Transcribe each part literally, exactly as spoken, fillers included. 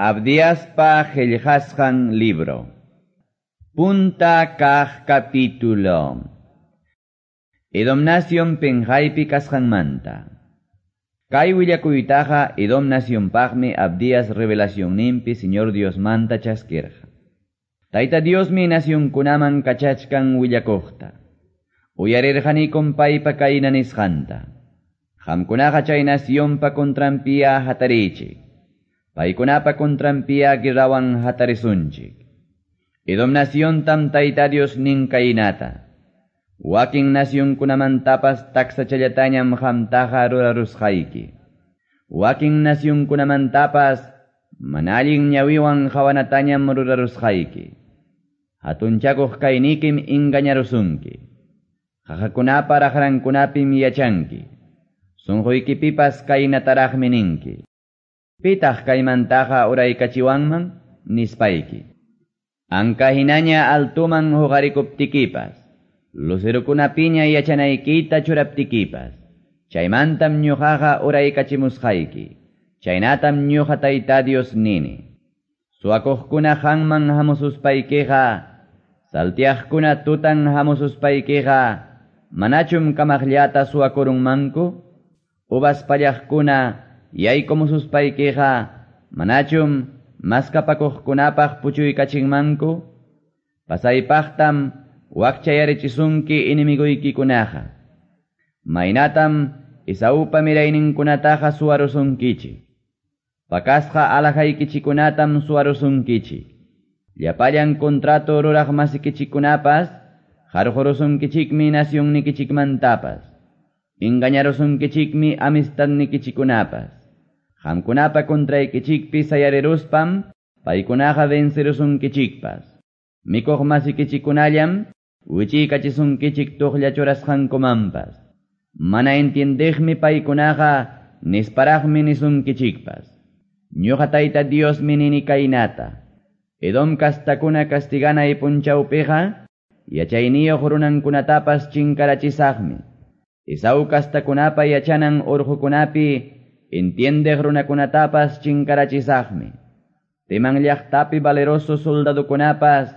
Abdiaspa qillqasqan libro. Punta kaq capítulo. Edom nación penqaypi kasqanmanta. Kay willakuytaqa Edom nacionpaqmi Abdias revelacionninpi Señor Diosmanta chaskirqa. Tayta Diosmi nacionkunaman kachachkan willakuqta. Uyarirqanikum paypa kayna nisqanta. Qamkunaqa chay nacionpa contranpiya hatarichik. Paykunapa contranpiya guerrawan hatarisunchik. Edom naciontam Tayta Dios nin kaynata. Wakin nacionkunamantapas taksachallatañam qamtaqa rurarusqayki. Wakin nacionkunamantapas mana allin ñawiwan qawanatañam rurarusqayki. Hatunchakuq kaynikim engañarusunki. Qaqakunapa raqrankunapim yachanki. Sunquykipipas kaynataraqmi ninki. Pitaq kaymantaqa uraykachiwanman nispayki. Anka hinaña altuman huqarikuptikipas, lucerukunapiña yachanaykita churaptikipas, chaymantam ñuqaqa uraykachimusqayki, chaynatam ñuqa Tayta Dios nini. Suwakuqkuna qanman hamususpaykiqa, saltiaqkuna tutan hamususpaykiqa, manachum kamaqllata suwakurunmanku? Uvas pallaqkuna yaykumususpaykiqa, manachum maskapakuqkunapaq puchuykachinmanku? Pasaypaqtam wakchayarichisunki enemigoykikunaqa. Maynatam Esaupa mirayninkunataqa suwarusunkichik. Pakasqa alajaykichikunatam suwarusunkichik. Llapallan contrato ruraq masikichikunapas qarqurusunkichikmi nacionnikichikmantapas. Engañarusunkichikmi amistadnikichikunapas. Qamkunapa contraykichikpi sayariruspam paykunaqa vencerusunkichikpas. Mikuq masikichikunallam wichiykachisunkichik tuqlla churasqankumanpas. Mana entiendeqmi paykunaqa nisparaqmi nisunkichikpas. Ñuqa Tayta Diosmi nini kaynata. Edom kastakuna castiganay punchawpiqa yachayniyuq runankunatapas chinkarachisaqmi. Esau kastakunapa yachanan urqukunapi entiendeq runakunatapas chinkarachisaqmi. Teman llaqtapi valeroso soldadukunapas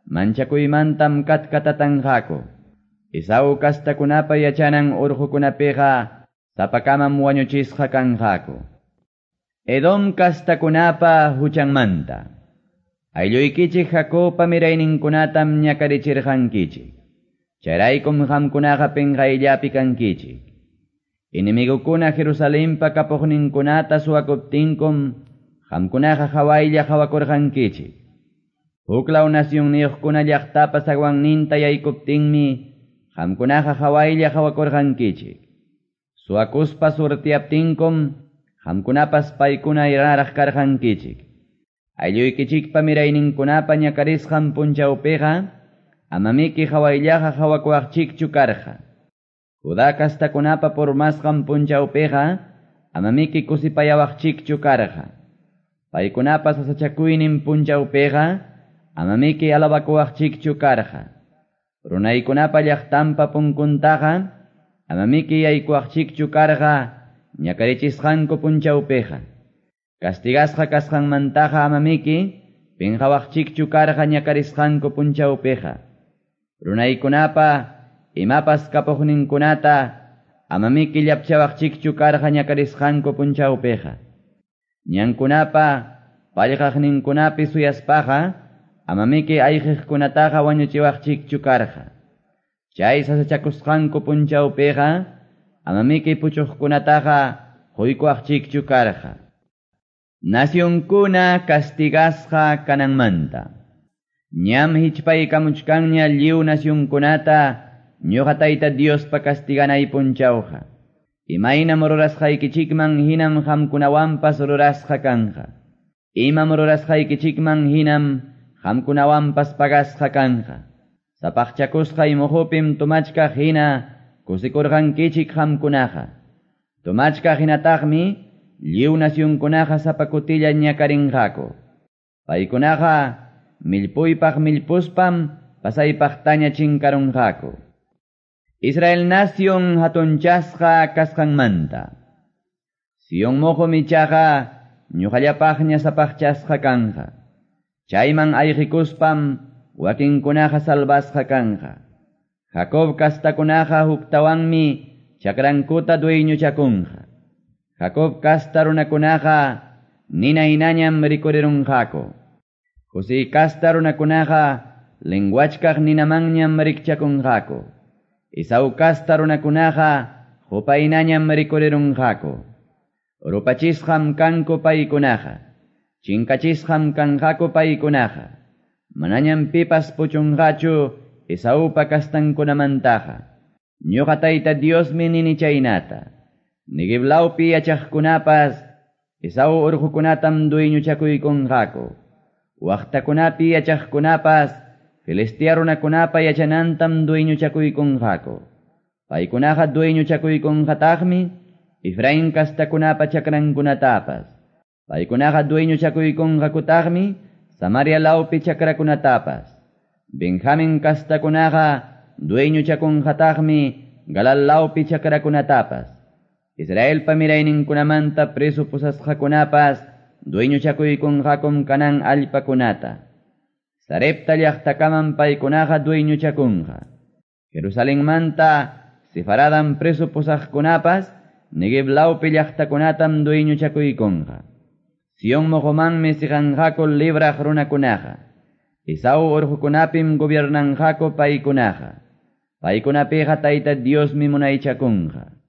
manchakuymantam katkatatanqaku. Esau kastakunapa yachanan urqukunapiqa sapakamam wañuchisqa kanqaku. Edom kastakunapa huchanmanta. Aylluykichik Jacobpa mirayninkunatam ñakarichirqankichik. Chayraykum qamkunaqa penqayllapi kankichik. Enemigokuna Jerusalenpa kapuqninkunata suwakuptinkum qamkunaqa hawaylla hawakurqankichik. Huklaw nacionniyuqkuna llaqtapa zaguanninta yaykuptinmi qamkunaqa hawaylla hawakurqankichik. Suwakuspa surtiyaptinkum qamkunapas paykuna iraraq karqankichik. Aylluykichikpa mirayninkunapa ñakarisqan punchawpiqa amamiki hawayllaqa hawakuwaqchikchu karqa. Judá kastakunapa purmasqan punchawpiqa amamiki kusipayawaqchikchu karqa. Paykunapa sasachakuynin punchawpiqa amamiki alabakuwaqchikchu karqa. Runaykunapa llaqtanpa punkuntaqa amamiki yaykuwaqchikchu karqa ñakarichisqanku punchawpiqa. Castigasqa kasqanmantaqa amamiki pinqawaqchikchu karqa ñakarisqanku punchawpiqa. Runaykunapa imapas kapuqninkunata amamiki llapchawaqchikchu karqa ñakarisqanku punchawpiqa. Ñankunapa pallqaqninkunapi suyaspaqa amamiki ayqiqkunataqa wañuchiwaqchikchu karqa. Chay sasachakusqanku punchawpiqa amamiki puchuqkunataqa quykuwaqchikchu karqa. Nacionkuna castigasqa kananmanta. Ñam hichpaykamuchkanña lliw nacionkunata ñuqa Tayta Diospa castiganay punchawqa. Imaynam rurasqaykichikman hinam qamkunawanpas rurasqa kanqa. Imam rurasqaykichikman hinam qamkunawanpas pagasqa kanqa. Sapaqchakusqay muhupim tumachkaq hina kusikurqankichik qamkunaqa. Tumachkaq hinataqmi lliw nacionkunaqa sapakutilla ñakarinqaku. Paykunaqa millpuypaq millpuspam pasaypaqtaña chinkarunqaku. Israel nación hatunchasqa kasqanmanta. Sion muhum ichaqa ñuqallapaqña sapaqchasqa kanqa. Chayman ayqikuspam wakinkunaqa salvasqa kanqa. Jacob kastakunaqa huktawanmi chakrankuta dueñochakunqa. Jacob kasta runakunaqa nina hinañam rikurirunqaku. José kasta runakunaqa lenguachkaq ninamanñam rikchakunqaku. Esau kasta runakunaqa hupaynañam rikurirunqaku. Rupachisqam kanku paykunaqa. Chinkachisqam kanqaku paykunaqa. Manañam pipas puchunqachu Esaupa kastankunamantaqa. Ñuqa Tayta Diosmi nini chaynata. Neguev lawpi yachaqkunapas Esau urqukunatam dueñochakuykunqaku. Waqtakunapi yachaqkunapas Filistea runakunapa yachanantam dueñochakuykunqaku. Paykunaqa dueñochakuykunqataqmi Efraín kastakunapa chakrankunatapas. Paykunaqa dueñochakuykunqakutaqmi Samaria lawpi chakrakunatapas. Benjamin kastakunaqa dueñochakunqataqmi Galal lawpi chakrakunatapas. Israelpa mirayninkunamanta preso pusasqakunapas dueñochakuykunqakum Canaán allpakunata. Sarepta llaqtakaman paykunaqa dueñochakunqa. Jerusalenmanta Sefaradam preso pusaqkunapas Neguev lawpi llaqtakunatam dueñochakuykunqa. Sion moqomanmi siqanqaku libraq runakunaqa. Esau urqukunapim gobiernanqaku paykunaqa. Paykunapiqa Tayta Diosmi munaychakunqa.